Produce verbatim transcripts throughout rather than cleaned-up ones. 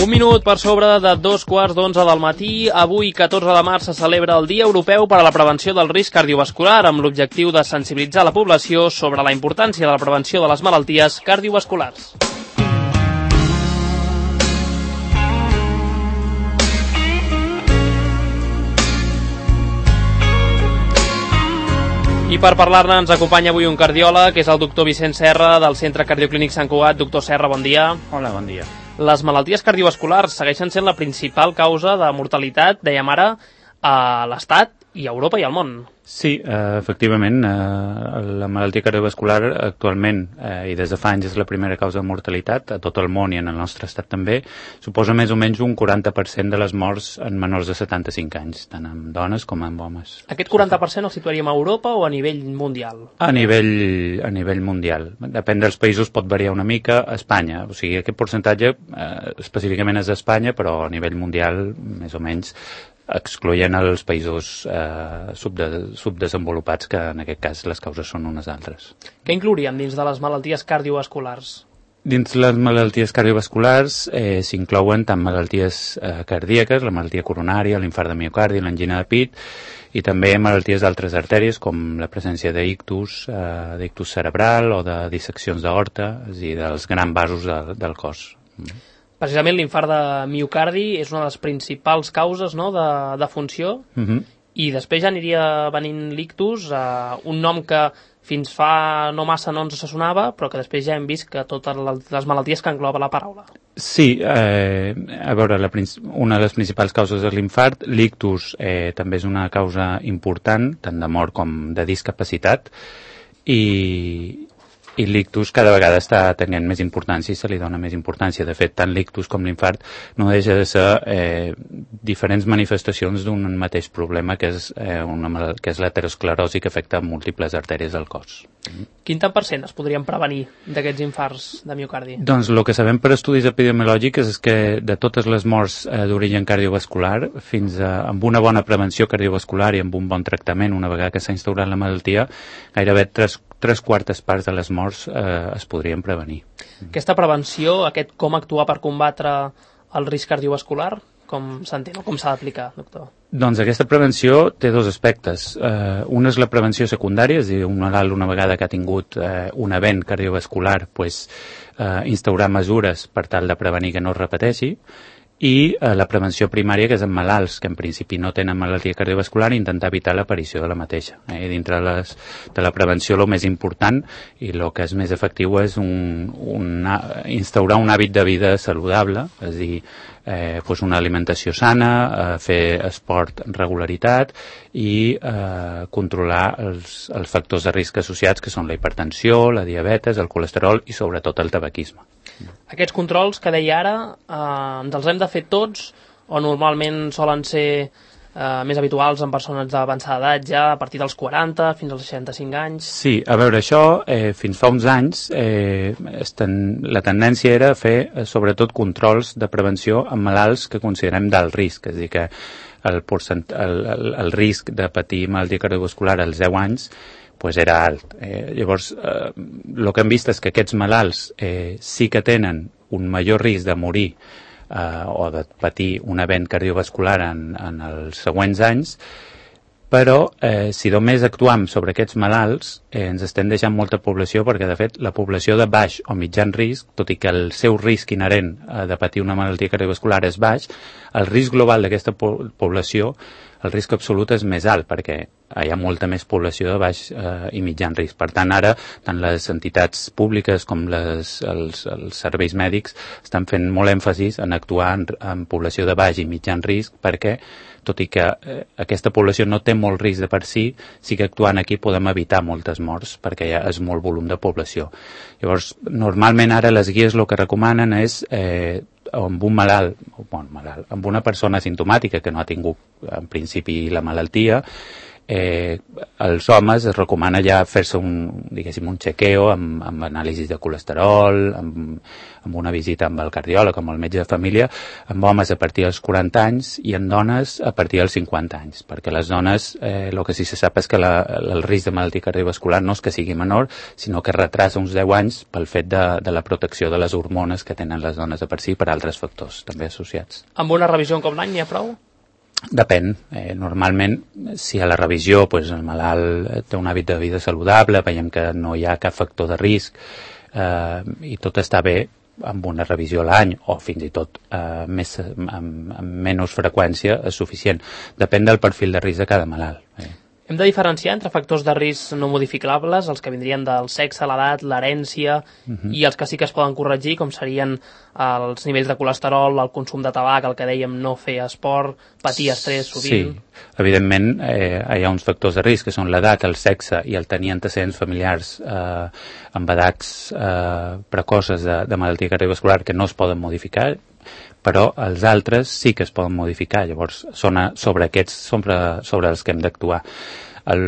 Un minut per sobre de dos quarts d'onze del matí. Avui, catorze de març, se celebra el Dia Europeu per a la Prevenció del Risc Cardiovascular amb l'objectiu de sensibilitzar la població sobre la importància de la prevenció de les malalties cardiovasculars. I per parlar-ne ens acompanya avui un cardiòleg, que és el doctor Vicent Serra, del Centre Cardioclínic Sant Cugat. Doctor Serra, bon dia. Hola, bon dia. Les malalties cardiovasculars segueixen sent la principal causa de mortalitat, dèiem ara, a l'Estat i a Europa i al món. Sí, eh, efectivament, eh, la malaltia cardiovascular actualment, eh, i des de fa anys és la primera causa de mortalitat a tot el món i en el nostre estat també, suposa més o menys un quaranta per cent de les morts en menors de setanta-cinc anys, tant en dones com en homes. Aquest quaranta per cent el situaríem a Europa o a nivell mundial? A nivell, a nivell mundial. Depèn dels països, pot variar una mica. A Espanya, o sigui, aquest percentatge eh, específicament és a Espanya, però a nivell mundial, més o menys, excloent els països eh, subde subdesenvolupats, que en aquest cas les causes són unes altres. Què inclouríem dins de les malalties cardiovasculars? Dins les malalties cardiovasculars eh, s'inclouen tant malalties eh, cardíaques, la malaltia coronària, l'infart de miocardi, l'angina de pit, i també malalties d'altres artèries com la presència d'ictus, eh, d'ictus cerebral o de disseccions d'aorta, és a dir, dels grans vasos de, del cos. Precisament l'infart de miocardi és una de les principals causes, no?, de, de funció, uh-huh. I després ja aniria venint l'ictus, eh, un nom que fins fa no massa no ens sonava, però que després ja hem vist que totes les malalties que engloba la paraula. Sí, eh, a veure, la, una de les principals causes és l'infart. L'ictus eh, també és una causa important, tant de mort com de discapacitat, i... i l'ictus cada vegada està tenint més importància i se li dona més importància. De fet, tant l'ictus com l'infart no deixa de ser eh, diferents manifestacions d'un mateix problema, que és, eh, una, que és l'aterosclerosi, que afecta múltiples artèries del cos. Quin tant per cent es podrien prevenir d'aquests infarts de miocardi? Doncs el que sabem per estudis epidemiològics és que de totes les morts eh, d'origen cardiovascular, fins a, amb una bona prevenció cardiovascular i amb un bon tractament, una vegada que s'ha instaurat la malaltia, gairebé tres, tres quartes parts de les morts eh, es podrien prevenir. Aquesta prevenció, aquest com actuar per combatre el risc cardiovascular, com s'entén o com s'ha d'aplicar, doctor? Doncs aquesta prevenció té dos aspectes. Eh, un és la prevenció secundària, és a dir, un malalt una vegada que ha tingut eh, un event cardiovascular, pues, eh, instaurar mesures per tal de prevenir que no es repeteixi, i eh, la prevenció primària, que és en malalts que en principi no tenen malaltia cardiovascular, intentar evitar l'aparició de la mateixa. Eh? Dintre les, de la prevenció, el més important i el que és més efectiu és un, un, instaurar un hàbit de vida saludable, és a dir, eh, pues una alimentació sana, eh, fer esport amb regularitat i eh, controlar els, els factors de risc associats, que són la hipertensió, la diabetes, el colesterol i sobretot el tabaquisme. Aquests controls que deia ara, eh, ens els hem de fer tots o normalment solen ser eh, més habituals en persones d'avançada edat, ja a partir dels quaranta fins als seixanta-cinc anys? Sí, a veure, això eh, fins fa uns anys eh, ten, la tendència era fer eh, sobretot controls de prevenció en malalts que considerem d'alt risc, és a dir, que el, porcent, el, el, el risc de patir malaltia cardiovascular als deu anys pues era alt. Eh, llavors, eh, el que hem vist és que aquests malalts eh, sí que tenen un major risc de morir eh, o de patir un event cardiovascular en, en els següents anys, però eh, si només actuam sobre aquests malalts eh, ens estem deixant molta població, perquè de fet la població de baix o mitjan risc, tot i que el seu risc inherent eh, de patir una malaltia cardiovascular és baix, el risc global d'aquesta po població, el risc absolut és més alt, perquè hi ha molta més població de baix eh, i mitjan risc. Per tant, ara, tant les entitats públiques com les, els, els serveis mèdics estan fent molt èmfasis en actuar en, en població de baix i mitjan risc, perquè, tot i que eh, aquesta població no té molt risc de per si, sí que actuant aquí podem evitar moltes morts, perquè ja és molt volum de població. Llavors, normalment ara les guies el que recomanen és eh, amb un malalt, bueno, malalt, amb una persona asimptomàtica que no ha tingut en principi la malaltia, eh, als homes es recomana ja fer-se un, diguéssim, un chequeo amb, amb anàlisis de colesterol, amb, amb una visita amb el cardiòleg, amb el metge de família, amb homes a partir dels quaranta anys i en dones a partir dels cinquanta anys, perquè les dones, eh, el que sí se sap és que la, el risc de malaltia cardiovascular no és que sigui menor, sinó que retrasa uns deu anys pel fet de, de la protecció de les hormones que tenen les dones de per si per altres factors també associats. Amb una revisió en com l'any n'hi ha prou? Depèn. Eh, normalment, si a la revisió pues, el malalt té un hàbit de vida saludable, veiem que no hi ha cap factor de risc eh, i tot està bé, amb una revisió a l'any o fins i tot eh, més, amb, amb menys freqüència és suficient. Depèn del perfil de risc de cada malalt. Eh. Hem de diferenciar entre factors de risc no modificables, els que vindrien del sexe, l'edat, l'herència, uh-huh. i els que sí que es poden corregir, com serien els nivells de colesterol, el consum de tabac, el que dèiem no fer esport, patir estrès sovint... Sí, evidentment eh, hi ha uns factors de risc que són l'edat, el sexe i el tenir antecedents familiars eh, amb edats eh, precoces de, de malaltia cardiovascular que no es poden modificar, però els altres sí que es poden modificar, llavors són a, sobre aquests sobre, sobre els que hem d'actuar. El,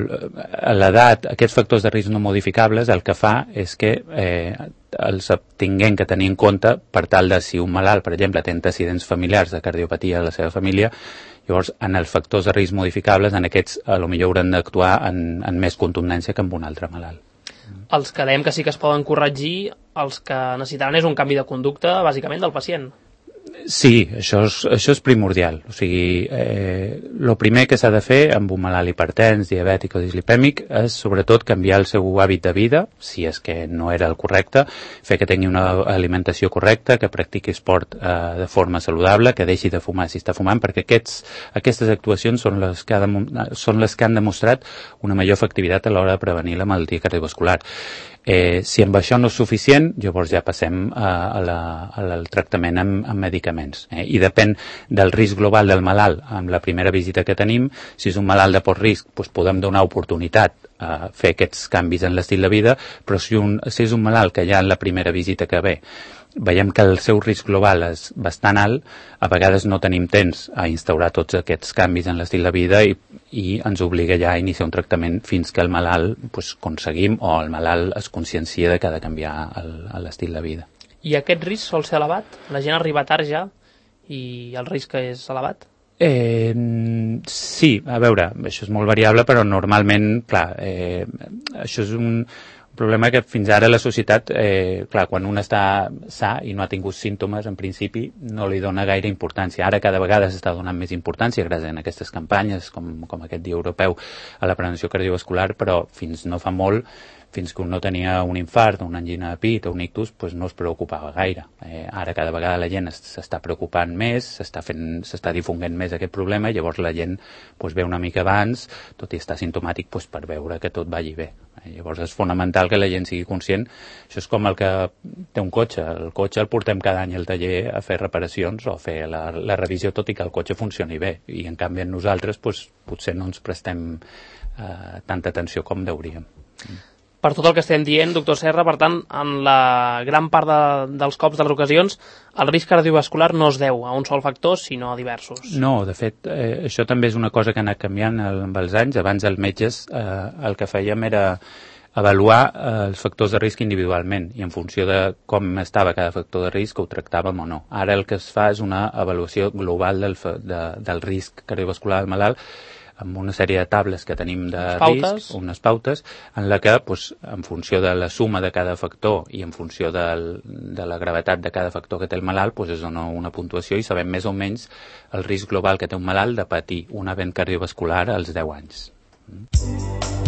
a l'edat, aquests factors de risc no modificables el que fa és que eh, els tinguem que tenir en compte per tal de si un malalt, per exemple, té antecedents familiars de cardiopatia a la seva família, llavors en els factors de risc modificables, en aquests a lo millor haurem d'actuar en, en més contundència que amb un altre malalt. Els que dèiem que sí que es poden corregir, els que necessitaran és un canvi de conducta, bàsicament, del pacient. Sí, això és, això és primordial. O sigui, eh, el primer que s'ha de fer amb un malalt hipertens, diabètic o dislipèmic és sobretot canviar el seu hàbit de vida, si és que no era el correcte, fer que tingui una alimentació correcta, que practiqui esport eh, de forma saludable, que deixi de fumar si està fumant, perquè aquests, aquestes actuacions són les, que ha de, són les que han demostrat una major efectivitat a l'hora de prevenir la malaltia cardiovascular. Eh, si amb això no és suficient, llavors ja passem a, a la, a la, al tractament amb, amb medicaments. Eh? I depèn del risc global del malalt amb la primera visita que tenim. Si és un malalt de poc risc, doncs podem donar oportunitat a fer aquests canvis en l'estil de vida, però si, un, si és un malalt que ja en la primera visita que ve veiem que el seu risc global és bastant alt, a vegades no tenim temps a instaurar tots aquests canvis en l'estil de vida i, i ens obliga ja a iniciar un tractament fins que el malalt pues, aconseguim o el malalt es consciencia de que ha de canviar l'estil de vida. I aquest risc sol ser elevat? La gent arriba tard ja i el risc és elevat? Eh, sí, a veure, això és molt variable, però normalment, clar, eh, això és un... Un problema que fins ara la societat, eh, clar, quan un està sa i no ha tingut símptomes, en principi no li dona gaire importància. Ara cada vegada s'està donant més importància gràcies a aquestes campanyes, com, com aquest Dia Europeu a la prevenció cardiovascular, però fins no fa molt, fins que un no tenia un infart, una angina de pit o un ictus, pues no es preocupava gaire. Eh, ara cada vegada la gent s'està preocupant més, s'està fent, s'està difonguent més aquest problema, i llavors la gent pues, ve una mica abans, tot i estar simptomàtic, pues, per veure que tot vagi bé. Eh, llavors és fonamental que la gent sigui conscient. Això és com el que té un cotxe. El cotxe el portem cada any al taller a fer reparacions o a fer la, la revisió, tot i que el cotxe funcioni bé. I en canvi en nosaltres pues, potser no ens prestem eh, tanta atenció com deuríem. Per tot el que estem dient, doctor Serra, per tant, en la gran part de, dels cops, de les ocasions, el risc cardiovascular no es deu a un sol factor, sinó a diversos. No, de fet, eh, això també és una cosa que ha anat canviant amb els anys. Abans els metges eh, el que fèiem era avaluar eh, els factors de risc individualment i en funció de com estava cada factor de risc ho tractàvem o no. Ara el que es fa és una avaluació global del, de, del risc cardiovascular del malalt amb una sèrie de tables que tenim de risc, unes pautes, en la que, pues, en funció de la suma de cada factor i en funció del, de la gravetat de cada factor que té el malalt, pues, es dona una puntuació i sabem més o menys el risc global que té un malalt de patir un event cardiovascular als deu anys. Mm.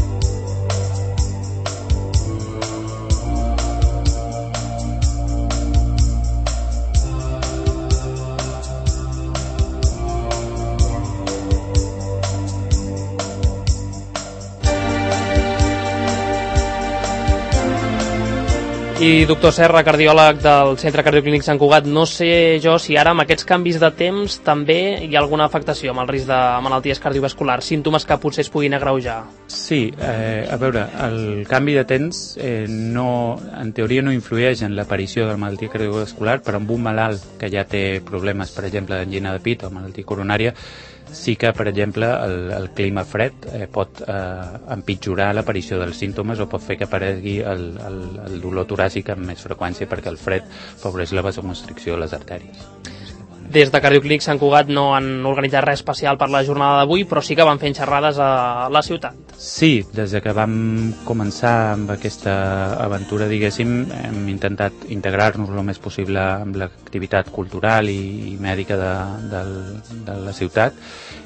I doctor Serra, cardiòleg del Centre Cardioclínic Sant Cugat, no sé jo si ara amb aquests canvis de temps també hi ha alguna afectació amb el risc de malalties cardiovasculars, símptomes que potser es puguin agreujar. Sí, eh, a veure, el canvi de temps eh, no, en teoria no influeix en l'aparició de la malaltia cardiovascular, però amb un malalt que ja té problemes, per exemple, d'angina de pit o malaltia coronària, sí que, per exemple, el, el clima fred eh, pot eh, empitjorar l'aparició dels símptomes o pot fer que aparegui el, el, el dolor toràcic amb més freqüència perquè el fred afavoreix la vasoconstricció de les artèries. Des de Cardioclínic Sant Cugat no han organitzat res especial per la jornada d'avui, però sí que van fent xerrades a la ciutat. Sí, des de que vam començar amb aquesta aventura, diguéssim, hem intentat integrar-nos el més possible amb l'activitat cultural i, i mèdica de, de, de la ciutat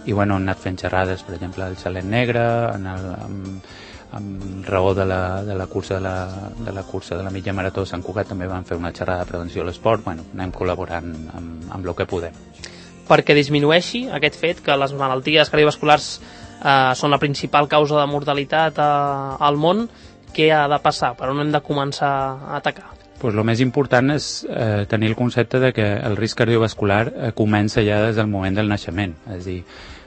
i bueno, hem anat fent xerrades, per exemple, al Xalet Negre, en el, amb, amb raó de la, de la cursa de la, de la cursa de la mitja marató Sant Cugat també van fer una xerrada de prevenció a l'esport. Bueno, anem col·laborant amb, amb el que podem. Perquè disminueixi aquest fet que les malalties cardiovasculars eh, són la principal causa de mortalitat a, al món, què ha de passar? Per on hem de començar a atacar? Pues el més important és eh, tenir el concepte de que el risc cardiovascular eh, comença ja des del moment del naixement. És a dir,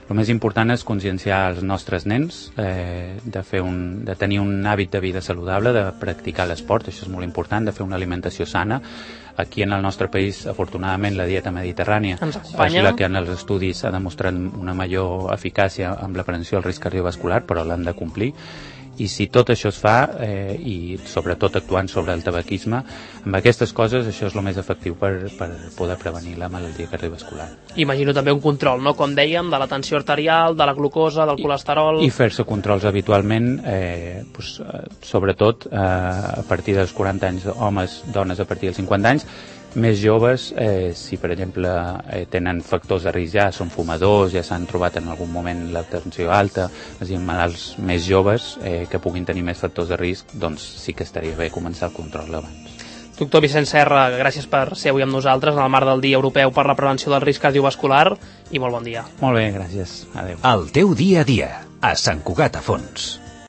el més important és conscienciar els nostres nens eh, de, fer un, de tenir un hàbit de vida saludable, de practicar l'esport, això és molt important, de fer una alimentació sana. Aquí en el nostre país, afortunadament, la dieta mediterrània és la que en els estudis ha demostrat una major eficàcia amb la prevenció del risc cardiovascular, però l'han de complir. I si tot això es fa, eh, i sobretot actuant sobre el tabaquisme, amb aquestes coses això és el més efectiu per, per poder prevenir la malaltia cardiovascular. Imagino també un control, no? Com dèiem, de la tensió arterial, de la glucosa, del colesterol... I, i fer-se controls habitualment, eh, pues, eh, sobretot eh, a partir dels quaranta anys, homes, dones a partir dels cinquanta anys, més joves, eh, si per exemple eh, tenen factors de risc ja, són fumadors, ja s'han trobat en algun moment la tensió alta, és a dir, malalts més joves eh, que puguin tenir més factors de risc, doncs sí que estaria bé començar el control abans. Doctor Vicent Serra, gràcies per ser avui amb nosaltres en el marc del Dia Europeu per la Prevenció del Risc Cardiovascular i molt bon dia. Molt bé, gràcies. Adéu. El teu dia a dia, a Sant Cugat a Fons.